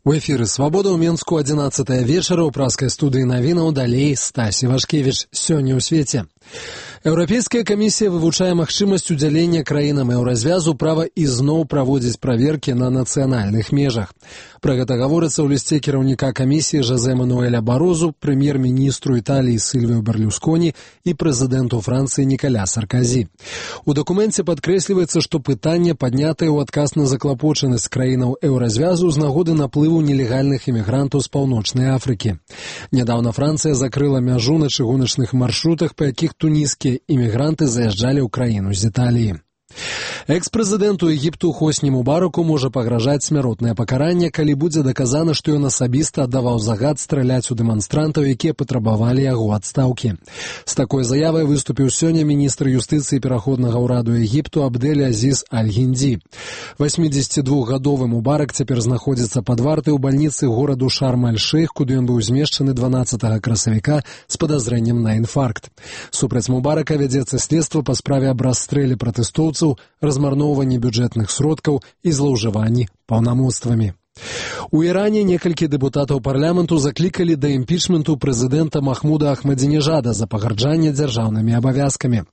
У эфіры «Свабода» ў Менску 11 вечара ў праскай студыі навінаў далей Стась Івашкевіч. Сёння ў свеце. Еўрапейская камісія вывучае магчымасць удзялення краінам еўразвязу права ізноў праводзіць праверкі на нацыянальных межах. Пра гэта гаворыцца ў лісце кіраўніка камісіі Жозе Мануэля Барозу, прэм'ер-міністру Італіі Сильвио Берлюсконі і прэзідэнту Францыі Николя Саркозі. У дакуменце падкрэсліваецца, што пытанне паднятае ў адказ на заклапочанасць краінаў еўразвязу з нагоды наплыву нелегальных імігрантаў з Паўночнай Афрыкі. Нядаўна Францыя закрыла мяжу на чыгуначных маршрутах, па якіх тунісскія імігранты заязджалі ў краіну з Італіі. Экс-прэзідэнту Егіпту Хосні Мубараку можа пагражаць смяротнае пакаранне, калі будзе даказана, што ён асабіста аддаваў загад страляць у дэманстрантаў, якія патрабавалі яго адстаўкі. З такой заявай выступіў сёння міністр юстыцыі пераходнага ўраду Егіпту Абдель Азіз Аль-Гінді. 82-гадовы Мубарак цяпер знаходзіцца пад вартай у бальніцы гораду Шарм-аль-Шейх, куды ён быў змешчаны 12 красавіка з падазрэннем на інфаркт. Супраць Мубарака вядзецца следства па справе аб расстрэле пратэстоўцаў, размарноўванні бюджэтных сродкаў і злоўжыванні паўнамоцтвамі. У Іране некалькі дэпутатаў парламенту заклікалі да імпічменту прэзідэнта Махмуда Ахмадзінежада за пагарджанне дзяржаўнымі абавязкамі.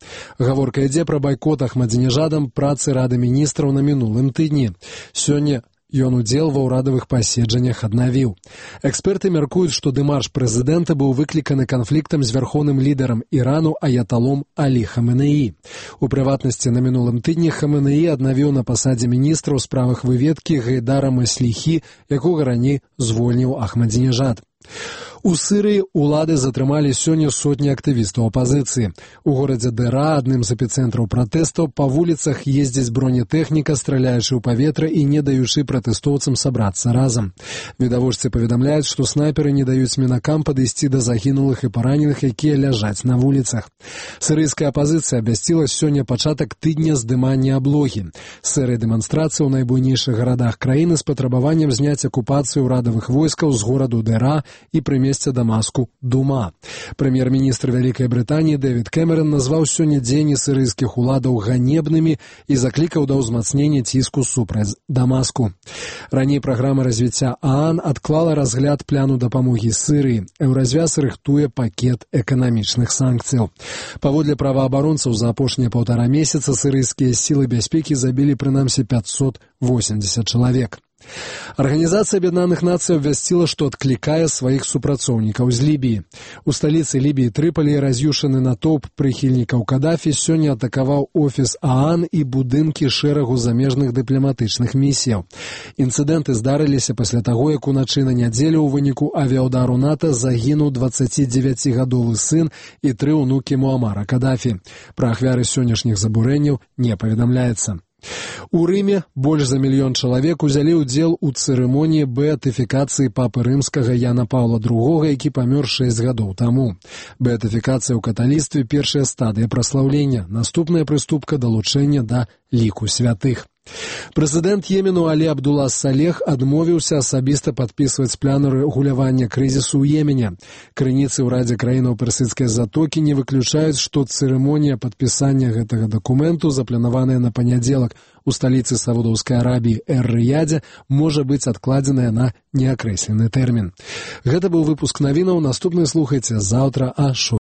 Гаворка ідзе пра байкот Ахмадзінежадам працы Рады міністраў на мінулым тыдні. Сёння ён удзел ва ўрадавых паседжаннях аднавіў. Эксперты мяркуюць, што дэмарш прэзідэнта быў выкліканы канфліктам з вярхоўным лідарам Ірану аяталом Алі Хаменеі. У прыватнасці, на мінулым тыдні Хаменеі аднавіў на пасадзе міністра ў справах выведкі Гайдара Масліхі, якога раней звольніў Ахмадзінежад. У Сырыі ўлады затрымалі сёння сотні актывістаў апазіцыі. У горадзе Дэра, адным з эпіцэнтраў пратэстаў, па вуліцах ездзіць бронетэхніка, страляючы ў паветра і не даючы пратэстоўцам сабрацца разам. Відавочцы паведамляюць, што снайперы не даюць мінакам падысці да загінулых і параненых, якія ляжаць на вуліцах. Сырыйская апазіцыя абвясціла сёння пачатак тыдня здымання аблогі. Серыя дэманстрацый у найбуйнейшых гарадах краіны з патрабаваннем зняць акупацыю ўрадавых войскаў з гораду Дэра і прымесці Дамаску Дума. Прэм'ер-міністр Вялікай Брытаніі Дэвід Кэмерон назваў сёння дзеянні сырыйскіх уладаў ганебнымі і заклікаў да ўзмацнення ціску супраць Дамаску. Раней праграма развіцця ААН адклала разгляд пляну дапамогі Сырыі. Еўразвяз рыхтуе пакет эканамічных санкцыяў. Паводле праваабаронцаў, за апошнія 1,5 месяца сырыйскія сілы бяспекі забілі прынамсі 580 чалавек. Арганізацыя Аб'яднаных Нацый абвясціла, што адклікае сваіх супрацоўнікаў з Лібіі. У сталіцы Лібіі Трыполі раз'юшаны натоўп прыхільнікаў Кадафі сёння атакаваў офіс ААН і будынкі шэрагу замежных дыпламатычных місіяў. Інцыдэнты здарыліся пасля таго, як уначы на нядзелю ў выніку авіаўдару НАТО загінуў 29-гадовы сын і 3 ўнукі Муамара Кадафі. Пра ахвяры сённяшніх забурэнняў не паведамляецца. У Рыме больш за 1 мільён чалавек узялі ўдзел у цырымоніі беатыфікацыі папы рымскага Яна Паўла II, які памёр 6 гадоў таму. Беатыфікацыя ў каталіцтве – першая стадыя праслаўлення, наступная прыступка – далучэння да ліку святых. Прэзідэнт Йемену Алі Абдула Салех адмовіўся асабіста падпісваць план рэгулявання крызісу ў Йемене. Крыніцы ў Радзе краінаў Персідскай затокі не выключаюць, што цырымонія падпісання гэтага дакументу, запланаваная на панядзелак у сталіцы Саудаўскай Арабіі Эр-Рыядзе, можа быць адкладзеная на неакрэслены тэрмін. Гэта быў выпуск навінаў. Наступны слухайце заўтра а 6.